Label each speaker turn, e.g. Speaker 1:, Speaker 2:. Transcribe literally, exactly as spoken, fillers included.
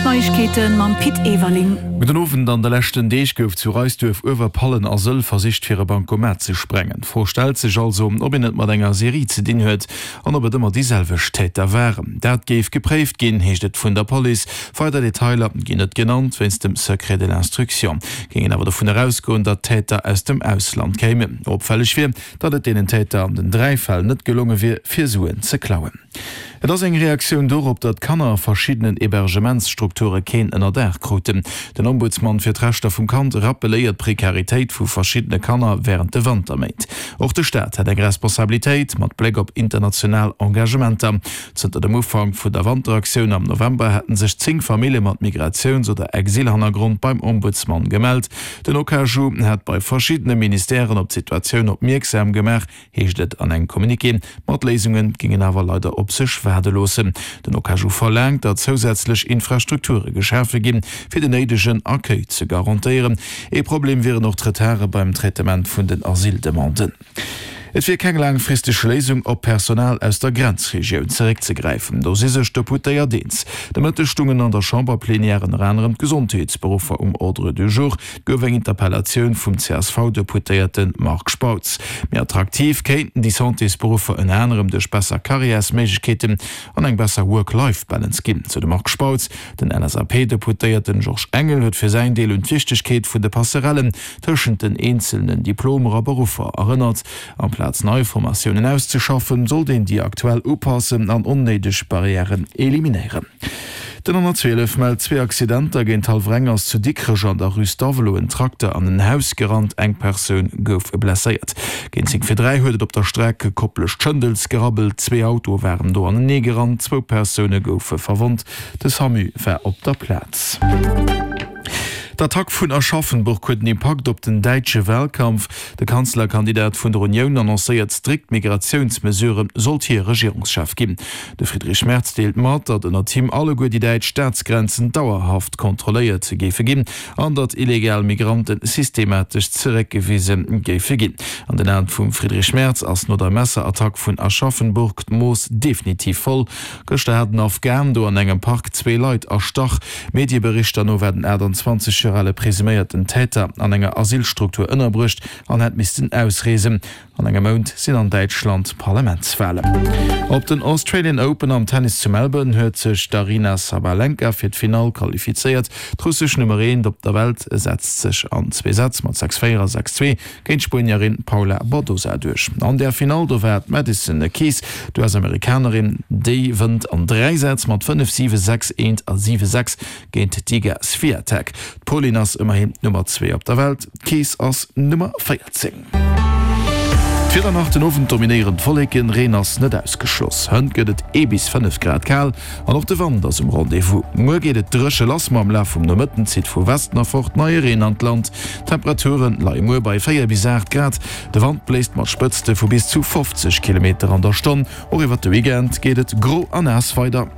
Speaker 1: D'Neiegkeete mam Pit Everling.
Speaker 2: Gudden Owend, An de leschten Deeg gouf zu Reisduerf, Uewerpallen a Sëll versicht fir e Bancomat ze sprengen. D'Fro stellt sech also, ob een et mat enger Serie ze dinn huet an ob et ëmmer déi selwecht Täter waren. Dat géif gepréift ginn, heescht et vun der Police. Weider Detailer ginn net genannt, wéinst dem Secret de l'instruction. Géing een awer dovun erausgoen, datt d'Täter aus dem Ausland kéimen. Opfälleg wier, datt et deenen Täter an den dräi Fäll net gelonge wier, fir Suen ze klauen. Et ass eng Reaktioun dorop, datt Kanner a verschiddenen Hebergementsstrukture keen Ënnerdaach kruten. Den Ombudsman fir d'Rechter vum Kand rappeléiert d'Prekaritéit vu verschiddene Kanner wärend de Wanterméint. Och de Staat hätt eng Responsabilitéit, mat Bléck op international Engagementer. Zënter dem Ufank vun der Wanteraktioun am November hätte sech zéng Famillje mat Migratiouns oder Exilhannergrond beim Ombudsman gemellt. Den OKaju hätt bei verschiddene Ministèren op d'Situatioun opmierksam gemaach, heescht et an engem Communiqué. Ma d'Léisunge géingen awer leider op sech waarde loossen. Den OKaju verlaangt, datt zousätzlech Infrastrukture geschafe ginn, fir den néidegen Accueil ze garantéieren. Ee Problem wieren och d'Retarde beim Traitement vun den Asyldemanden. Et wier keng laangfristeg Léisung, op Personal aus der Grenzregioun zeréckzegräifen. Do si sech d'Deputéiert eens. De Mëtteg stungen an der Chamberplenière ënner anerem d'Gesondheetsberuffer um Ordre du jour. Et gouf eng Interpellatioun vum C S V-Deputéierte Marc Spautz. Méi attraktiv kéinten déi Santésberuffer ënner anerem duerch besser Karriärsméiglechkeeten an eng besser Work-Life-Balance ginn, sou de Marc Spautz. Den L S A P-Deputéierte Georges Engel huet fir säin Deel un d'Wichtegkeet vun de Passerellen tëschent den eenzelnen Diplomer a Beruffer erënnert. Amplaz nei Formatiounen auszeschaffen, sollt een déi aktuell upassen an onnéideg Barrièren eliminéieren. Den honnertzwielef mellt zwee Accidenter. Géint hallwer eng ass zu Dikrech an der Rue Stavelot en Trakter an en Haus gerannt, eng Persoun gouf blesséiert. Géint zéng vir dräi huet et op der Streck Koplescht-Schëndels gerabbelt, zwee Autoe waren do anenee gerannt, zwou Persoune goufe verwonnt, de Samu war op der Plaz. D'Attack vun Aschaffenburg huet en Impakt op den däitsche Walkampf. De Kanzlerkandidat vun der Unioun annoncéiert strikt Migratiounsmesuren, sollt hie Regierungschef ginn. De Friedrich Merz deelt mat, datt ënnert him alleguer déi däitsch Staatsgrenzen dauerhaft kontrolléiert géife ginn an datt illegal Migranten systematesch zeréckgewise géife ginn. An den Aen vum Friedrich Merz ass no der Messerattack vun Aschaffenburg d'Mooss definitiv voll. Gëschter hat en Afghan do an engem Park zwee Leit erstach. Medieberichter no war den achttanzwanzeg Joer ale presuméierten Täter an enger Asylstruktur ënnerbruecht an hätt missten ausreesen. An engem Mount sinn an Däitschland Parlamentswalen. Op den Australian Open am Tennis zu Melbourne huet sech d'Aryna Sabalenka fir d'Finall qualifizéiert. D'russesch Nummer eent op der Welt setzt sech an zwee Sätz mat sechs véier a sechs zwee géint d'Spuenierin Paula Badosa duerch. An der Finall do war d'Madison Keys, d'U S-Amerikanerin, déi wënnt an dräi Sätz mat fënnef siwe, sechs eent a siwe sechs géint d'Iga Swiatek. D'Polin ass ëmmerhin d'Nummer zwee op der Welt, d'Keys ass Nummer véierzéng. D'Wieder nach, Den Owend dominéieren d'Wolleken, Reen ass net ausgeschloss. Hënt gëtt et ee bis fënnef Grad kal an och de Wand ass um Rendez-vous. Muer geet et dréche lass, ma am Laf vum Nomëtten zitt vu Westen erfort neie Reen an d'Land. D'Temperature leie muer bei véier bis aacht Grad. De Wand bléist mat Spëtzte vu bis zu fofzeg Kilometer an der Stonn. Och iwwert de Weekend geet et gro a naass weider.